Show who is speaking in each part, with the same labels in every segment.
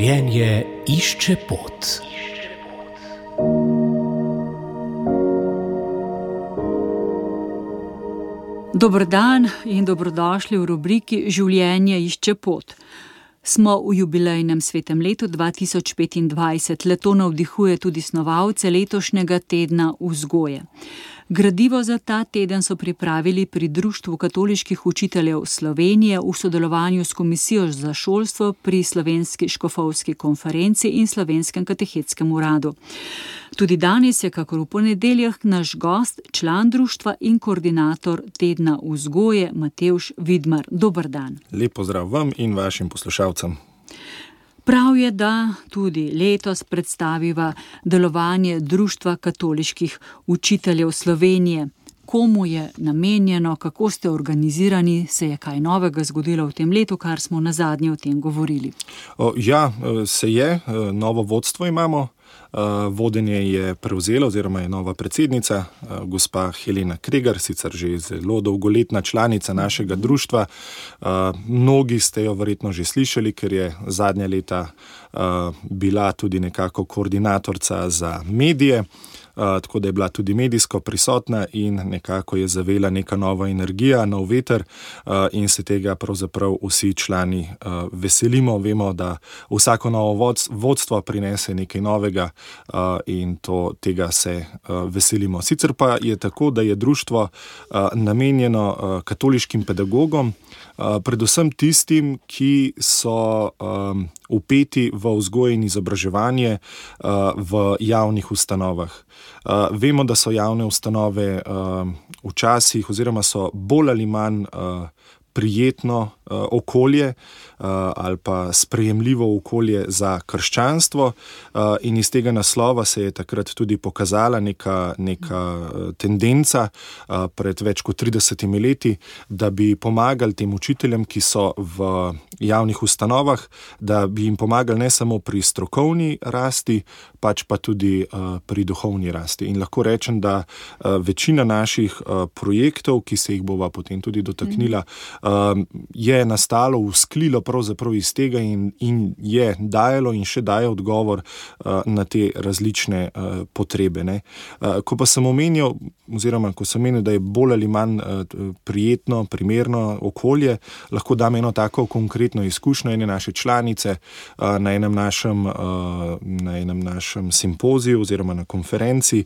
Speaker 1: Življenje išče pot.
Speaker 2: Dober dan in dobrodošli v rubriki Življenje išče pot. Smo v jubilejnem svetem letu 2025. Leto navdihuje tudi snovalce letošnjega tedna vzgoje. Gradivo za ta teden so pripravili pri Društvu katoliških učiteljev Slovenije v sodelovanju s Komisijo za šolstvo pri Slovenski škofovski konferenci in Slovenskem katehetskem uradu. Tudi danes je, kakor v ponedeljah, naš gost, član društva in koordinator tedna vzgoje Matevž Vidmar. Dober dan.
Speaker 3: Lep pozdrav vam in vašim poslušalcem.
Speaker 2: Prav je, da tudi letos predstaviva delovanje Društva katoliških učiteljev Slovenije. Komu je namenjeno, kako ste organizirani, se je kaj novega zgodilo v tem letu, kar smo nazadnje o tem govorili?
Speaker 3: Se je. Novo vodstvo imamo. Vodenje je prevzela oziroma je nova predsednica, gospa Helena Kregar, sicer že zelo dolgoletna članica našega društva. Mnogi ste jo verjetno že slišali, ker je zadnja leta bila tudi nekako koordinatorca za medije, tako da je bila tudi medijsko prisotna in nekako je zavela neka nova energija, nov veter in se tega pravzaprav vsi člani veselimo. Vemo, da vsako novo vodstvo prinese nekaj novega in tega se veselimo. Sicer pa je tako, da je društvo namenjeno katoliškim pedagogom, predvsem tistim, ki so vpeti v vzgojo in izobraževanje v javnih ustanovah. Vemo, da so javne ustanove včasih oziroma so bolj ali manj prijetno okolje ali pa sprejemljivo okolje za krščanstvo in iz tega naslova se je takrat tudi pokazala neka tendenca pred več kot 30 leti, da bi pomagali tem učiteljem, ki so v javnih ustanovah, da bi jim pomagali ne samo pri strokovni rasti, pač pa tudi pri duhovni rasti. In lahko rečem, da večina naših projektov, ki se jih bova potem tudi dotaknila, je nastalo, vzklilo pravzaprav iz tega in je dajalo in še daje odgovor na te različne potrebe. Ko pa sem omenil, da je bolj ali manj prijetno, primerno okolje, lahko dam eno tako konkretno izkušnjo ene naše članice na enem našem simpoziju oziroma na konferenci.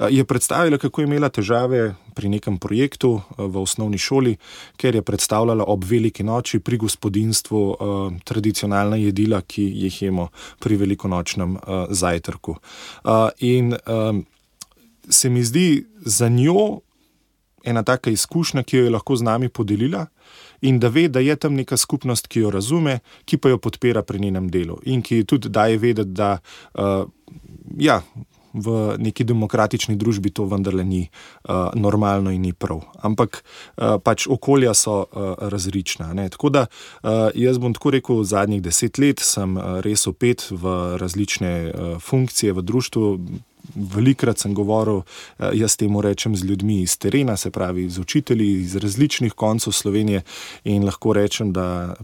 Speaker 3: Je predstavila, kako je imela težave pri nekem projektu v osnovni šoli, ker je predstavljala ob veliki noči pri gospodinjstvu tradicionalna jedila, ki jih jemo pri velikonočnem zajtrku. In se mi zdi za njo ena taka izkušnja, ki jo je lahko z nami podelila in da ve, da je tam neka skupnost, ki jo razume, ki pa jo podpira pri njenem delu in ki tudi daje vedeti, da v neki demokratični družbi to vendarle ni normalno in ni prav. Ampak pač okolja so različna. Tako da jaz bom tako rekel, zadnjih 10 let sem res vpet v različne funkcije v društvu. Velikrat sem govoril, jaz temu rečem, z ljudmi iz terena, se pravi z učitelji iz različnih koncev Slovenije in lahko rečem, da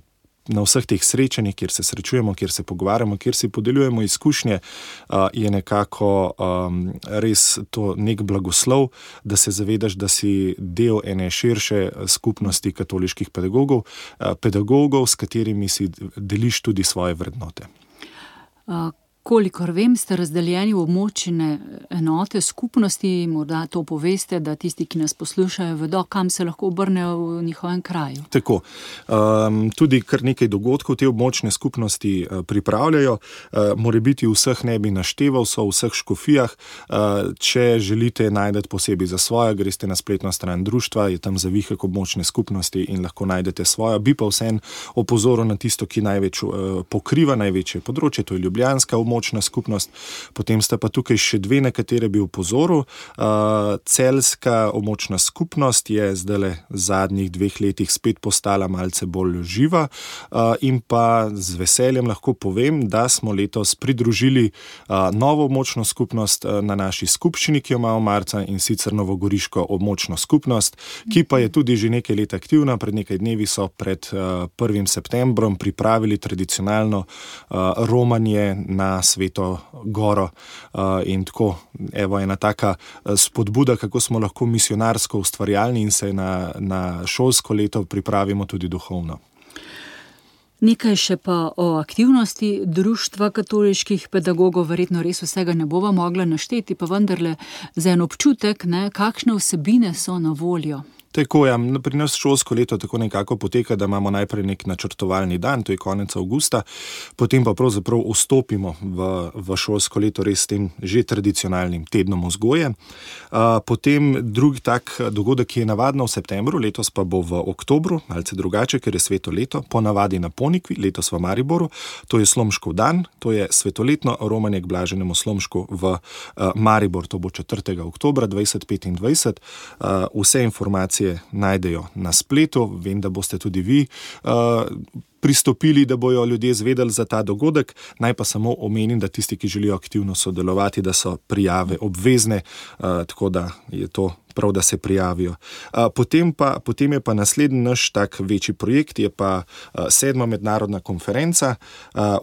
Speaker 3: na vseh teh srečanjih, kjer se srečujemo, kjer se pogovarjamo, kjer si podeljujemo izkušnje, je nekako res to nek blagoslov, da se zavedaš, da si del ene širše skupnosti katoliških pedagogov, s katerimi si deliš tudi svoje vrednote.
Speaker 2: Kolikor vem, ste razdeljeni v območne enote skupnosti, morda to poveste, da tisti, ki nas poslušajo, vedo, kam se lahko obrnejo v njihovem kraju.
Speaker 3: Tako. Tudi kar nekaj dogodkov te območne skupnosti pripravljajo. Morebiti vseh ne bi našteval, so v vseh škofijah. Če želite najdete posebej za svojo, greste na spletno stran društva, je tam zavihek območne skupnosti in lahko najdete svojo. Bi pa vseeno opozoril na tisto, ki največ pokriva največje področje, to je ljubljanska območna območna skupnost. Potem sta pa tukaj še dve, na katere bi opozoril. Celjska območna skupnost je zdajle v zadnjih 2 letih spet postala malce bolj živa in pa z veseljem lahko povem, da smo letos pridružili novo območno skupnost na naši skupščini, ki jo imamo marca, in sicer novogoriško območno skupnost, ki pa je tudi že nekaj let aktivna. Pred nekaj dnevi so pred 1. septembrom pripravili tradicionalno romanje na Sveto Goro in tako, evo, ena taka spodbuda, kako smo lahko misionarsko ustvarjalni in se na šolsko leto pripravimo tudi duhovno.
Speaker 2: Nekaj še pa o aktivnosti Društva katoliških pedagogov, verjetno res vsega ne bova mogla našteti, pa vendarle za en občutek, kakšne vsebine so na voljo.
Speaker 3: Tako, ja, pri nas šolsko leto tako nekako poteka, da imamo najprej nek načrtovalni dan, to je konec avgusta, potem pa pravzaprav vstopimo v šolsko leto res s tem že tradicionalnim tednom vzgoje. Potem drugi tak dogodek, ki je navadno v septembru, letos pa bo v oktobru, malce drugače, ker je sveto leto, ponavadi na Ponikvi, letos v Mariboru, to je Slomškov dan, to je svetoletno romanje k blaženemu Slomšku v Maribor, to bo 4. oktobra 2025. Vse informacije najdejo na spletu, vem, da boste tudi vi pristopili, da bojo ljudje zvedeli za ta dogodek. Naj pa samo omenim, da tisti, ki želijo aktivno sodelovati, da so prijave obvezne, tako da je to prav, da se prijavijo. Potem je pa naslednji naš tak večji projekt, je pa 7. mednarodna konferenca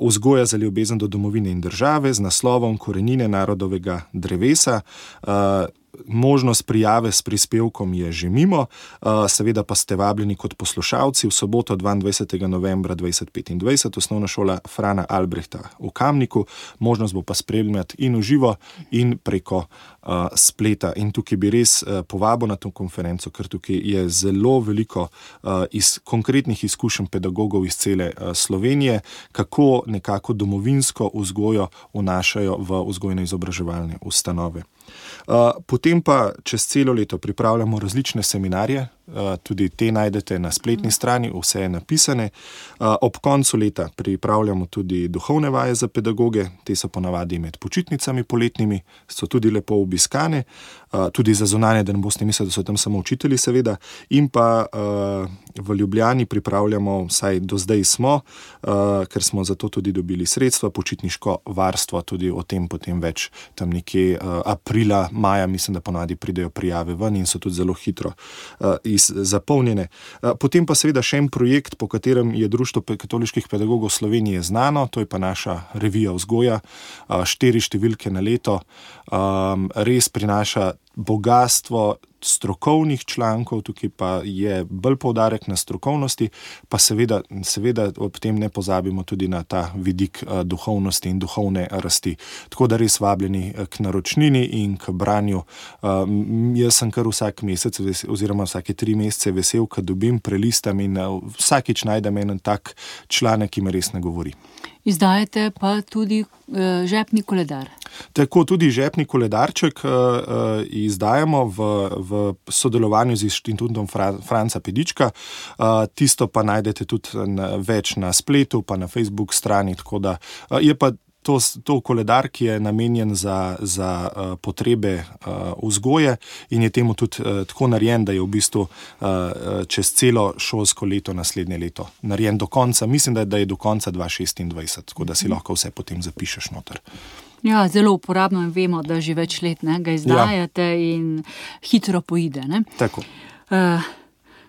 Speaker 3: Vzgoja za ljubezen do domovine in države z naslovom Korenine narodovega drevesa. Možnost prijave s prispevkom je že mimo, seveda pa ste vabljeni kot poslušalci v soboto 22. novembra 2025, osnovna šola Frana Albrehta v Kamniku. Možnost bo pa spremljati in v živo in preko spleta. In tukaj bi res povabil na to konferenco, ker tukaj je zelo veliko konkretnih izkušenj pedagogov iz cele Slovenije, kako nekako domovinsko vzgojo vnašajo v vzgojno-izobraževalne ustanove. Potem pa čez celo leto pripravljamo različne seminarje, tudi te najdete na spletni strani, vse je napisane. Ob koncu leta pripravljamo tudi duhovne vaje za pedagoge, te so ponavadi med počitnicami poletnimi, so tudi lepo obiskane, tudi za zunanje, da ne boste mislili, da so tam samo učitelji, seveda. In pa v Ljubljani pripravljamo, vsaj do zdaj smo, ker smo za to tudi dobili sredstva, počitniško varstvo, tudi o tem potem več tam nekje aprila, maja, mislim, da ponavadi pridejo prijave ven in so tudi zelo hitro zapolnjene. Potem pa seveda še en projekt, po katerem je Društvo katoliških pedagogov Slovenije znano, to je pa naša revija Vzgoja, 4 številke na leto, res prinaša bogastvo strokovnih člankov, tukaj pa je bolj poudarek na strokovnosti, pa seveda ob tem ne pozabimo tudi na ta vidik duhovnosti in duhovne rasti. Tako da res vabljeni k naročnini in k branju. Jaz sem kar vsak mesec oziroma vsake 3 mesece vesel, ko dobim, prelistam in vsakič najdem en tak članek, ki me res ne govori.
Speaker 2: Izdajate pa tudi žepni koledar.
Speaker 3: Tako, tudi žepni koledarček izdajamo v sodelovanju z Inštitutom Franca Pedička. Tisto pa najdete tudi več na spletu, pa na Facebook strani, tako da je pa to koledar, ki je namenjen za potrebe vzgoje in je temu tudi tako narejen, da je v bistvu čez celo šolsko leto naslednje leto narejen do konca. Mislim, da je do konca 2026, tako da si lahko vse potem zapišeš noter.
Speaker 2: Ja, zelo uporabno in vemo, da že več let ga izdajate in hitro poide.
Speaker 3: Tako.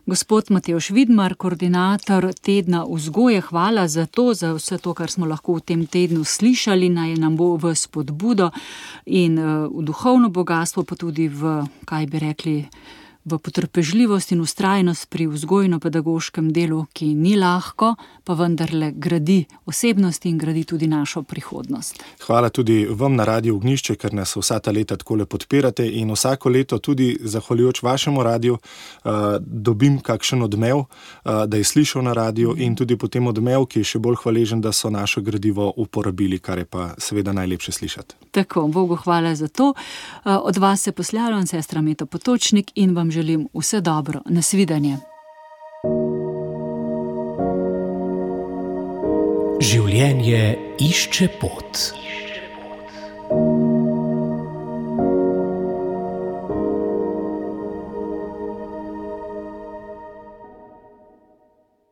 Speaker 2: Gospod Matevž Vidmar, koordinator tedna vzgoje, hvala za vse to, kar smo lahko v tem tednu slišali, naj nam bo v spodbudo in v duhovno bogatstvo, pa tudi v, kaj bi rekli, v potrpežljivost in vztrajnost pri vzgojno-pedagoškem delu, ki ni lahko, pa vendarle gradi osebnost in gradi tudi našo prihodnost.
Speaker 3: Hvala tudi vam na Radiu Ognjišče, ker nas vsa ta leta takole podpirate in vsako leto tudi zahvaljujoč vašemu radiju dobim kakšen odmev, da je slišal na radiju in tudi potem odmev, ki je še bolj hvaležen, da so naše gradivo uporabili, kar je pa seveda najlepše slišati.
Speaker 2: Tako, Bogu hvala za to. Od vas se poslavljam, sestra Meta Potočnik, in vam želim vse dobro. Nasvidenje.
Speaker 1: Življenje išče pot.